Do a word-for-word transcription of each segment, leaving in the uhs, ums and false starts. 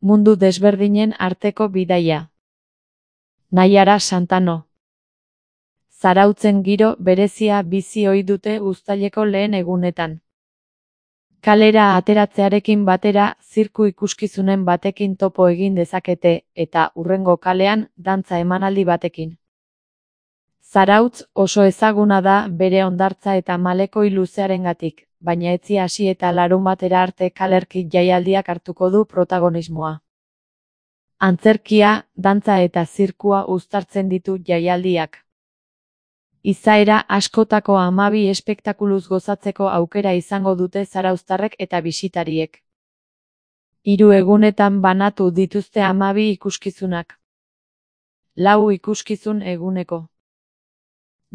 Mundu desberdinen arteko bidaia. Naiara Santano. Zarautzen giro berezia bizi ohi dute uztaileko lehen egunetan. Kalera ateratzearekin batera, zirku ikuskizunen batekin topo egin dezakete, eta hurrengo kalean, dantza emanaldi batekin. Zarautz oso ezaguna da bere hondartza eta malekoi luzearengatik, baina etzi hasi eta larunbatera arte kalerki jaialdiak hartuko du protagonismoa. Antzerkia, dantza eta zirkua uztartzen ditu jaialdiak. Izaera askotako hamabi espektakuluz gozatzeko aukera izango dute zarauztarrek eta bisitariek. Hiru egunetan banatu dituzte hamabi ikuskizunak. Lau ikuskizun eguneko.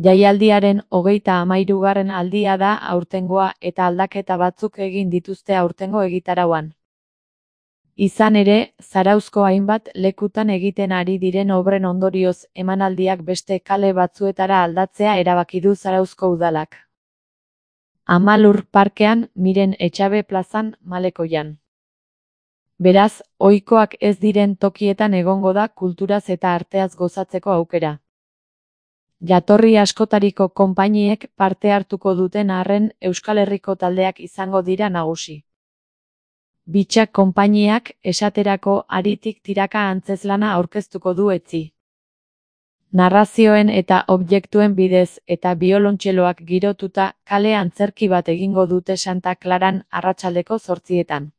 Jaialdiaren hogeita hamahirugarren aldia da aurtengoa eta aldaketa batzuk egin dituzte aurtengo egitarauan. Izan ere, Zarauzko hainbat lekutan egiten ari diren obren ondorioz emanaldiak beste kale batzuetara aldatzea erabaki du Zarauzko udalak. Amalur parkean, Miren Etxabe plazan, Malekoian. Beraz, ohikoak ez diren tokietan egongo da kulturaz eta arteaz gozatzeko aukera. Jatorri askotariko konpainiek parte hartuko duten arren Euskal Herriko taldeak izango dira nagusi. Bitxak konpainiak, esaterako Haritik tiraka antzezlana aurkeztuko du etzi. Narrazioen eta objektuen bidez eta biolontxeloak girotuta kale antzerki bat egingo dute Santa Klaran arratsaldeko zortzietan.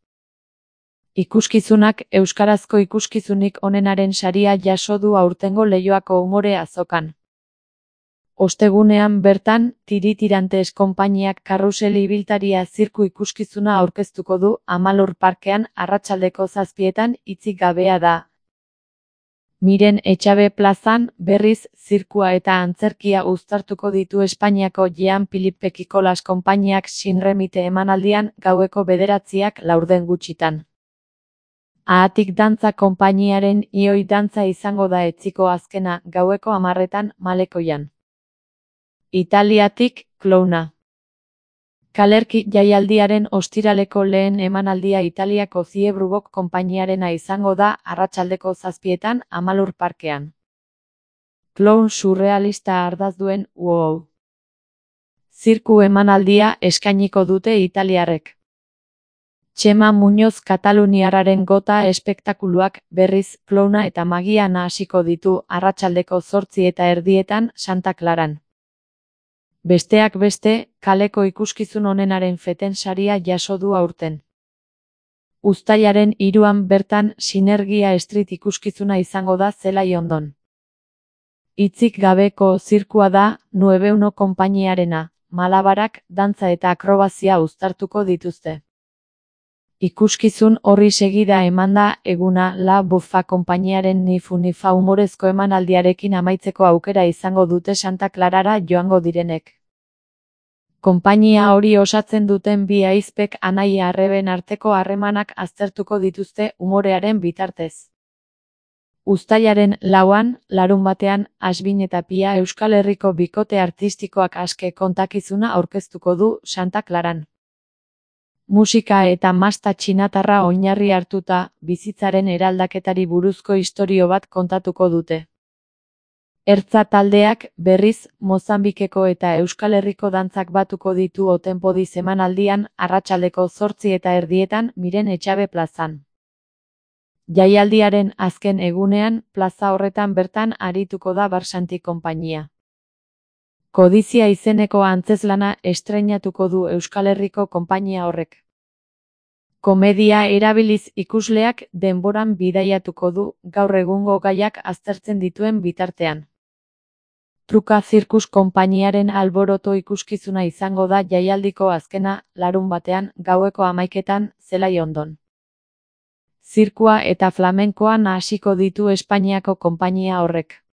Ikuskizunak euskarazko ikuskizunik onenaren saria jaso du aurtengo Leioako umore azokan. Ostegunean bertan, Tiritirantes konpainiak karrusel ibiltaria zirku ikuskizuna aurkeztuko du Amalur parkean arratsaldeko zazpietan hitzik gabea da. Miren Etxabe plazan, berriz, zirkua eta antzerkia uztartuko ditu Espainiako Jean Philippe Kikolas konpainiak Sinremite emanaldian gaueko bederatziak laurden gutxitan. Ahatik dantza konpainiaren Ioi dantza izango da etziko azkena gaueko hamarretan Malekoian. Italiatik, Klouna. Kalerki jaialdiaren ostiraleko lehen emanaldia Italiako Ziebrugok konpainiarena izango da arratsaldeko zazpietan Amalur parkean. Kloun surrealista ardaz duen wow. Zirku emanaldia eskainiko dute italiarrek. Txema Muñoz kataluniarraren gota espektakuluak berriz klouna eta magia nahasiko ditu arratsaldeko zortzi eta erdietan Santa Klaran. Besteak beste, kaleko ikuskizun onenaren feten saria jaso du aurten. Uztailaren hiruan bertan Sinergia Street ikuskizuna izango da Zelai Ondon. Hitzik gabeko zirkua da Nuebeuno konpainiarena, malabarak, dantza eta akrobazia uztartuko dituzte. Ikuskizun horri segida emanda eguna La Buffa konpainiaren Nifu Nifa humorezko emanaldiarekin amaitzeko aukera izango dute Santa Klarara joango direnek. Konpainia hori osatzen duten bi ahizpek anaia arreben arteko harremanak aztertuko dituzte umorearen bitartez. Uztailaren lauan, larunbatean, Asbin eta Pia Euskal Herriko bikote artistikoak aske kontakizuna aurkeztuko du Santa Klaran. Musika eta masta txinatarra oinarri hartuta, bizitzaren eraldaketari buruzko istorio bat kontatuko dute. Ertza taldeak, berriz, Mozambikeko eta Euskal Herriko dantzak batuko ditu Otenpodi emanaldian arratsaldeko zortzi eta erdietan Miren Etxabe plazan. Jaialdiaren azken egunean, plaza horretan bertan arituko da Barsanti konpainia. Kodizia izeneko antzezlana estreinatuko du Euskal Herriko konpainia horrek. Komedia erabiliz ikusleak denboran bidaiatuko du gaur egungo gaiak aztertzen dituen bitartean. Truka Zirkus konpainiaren alboroto ikuskizuna izango da jaialdiko azkena, larunbatean, gaueko hamaiketan, Zelai Ondon. Zirkua eta flamenkoa nahasiko ditu Espainiako konpainia horrek.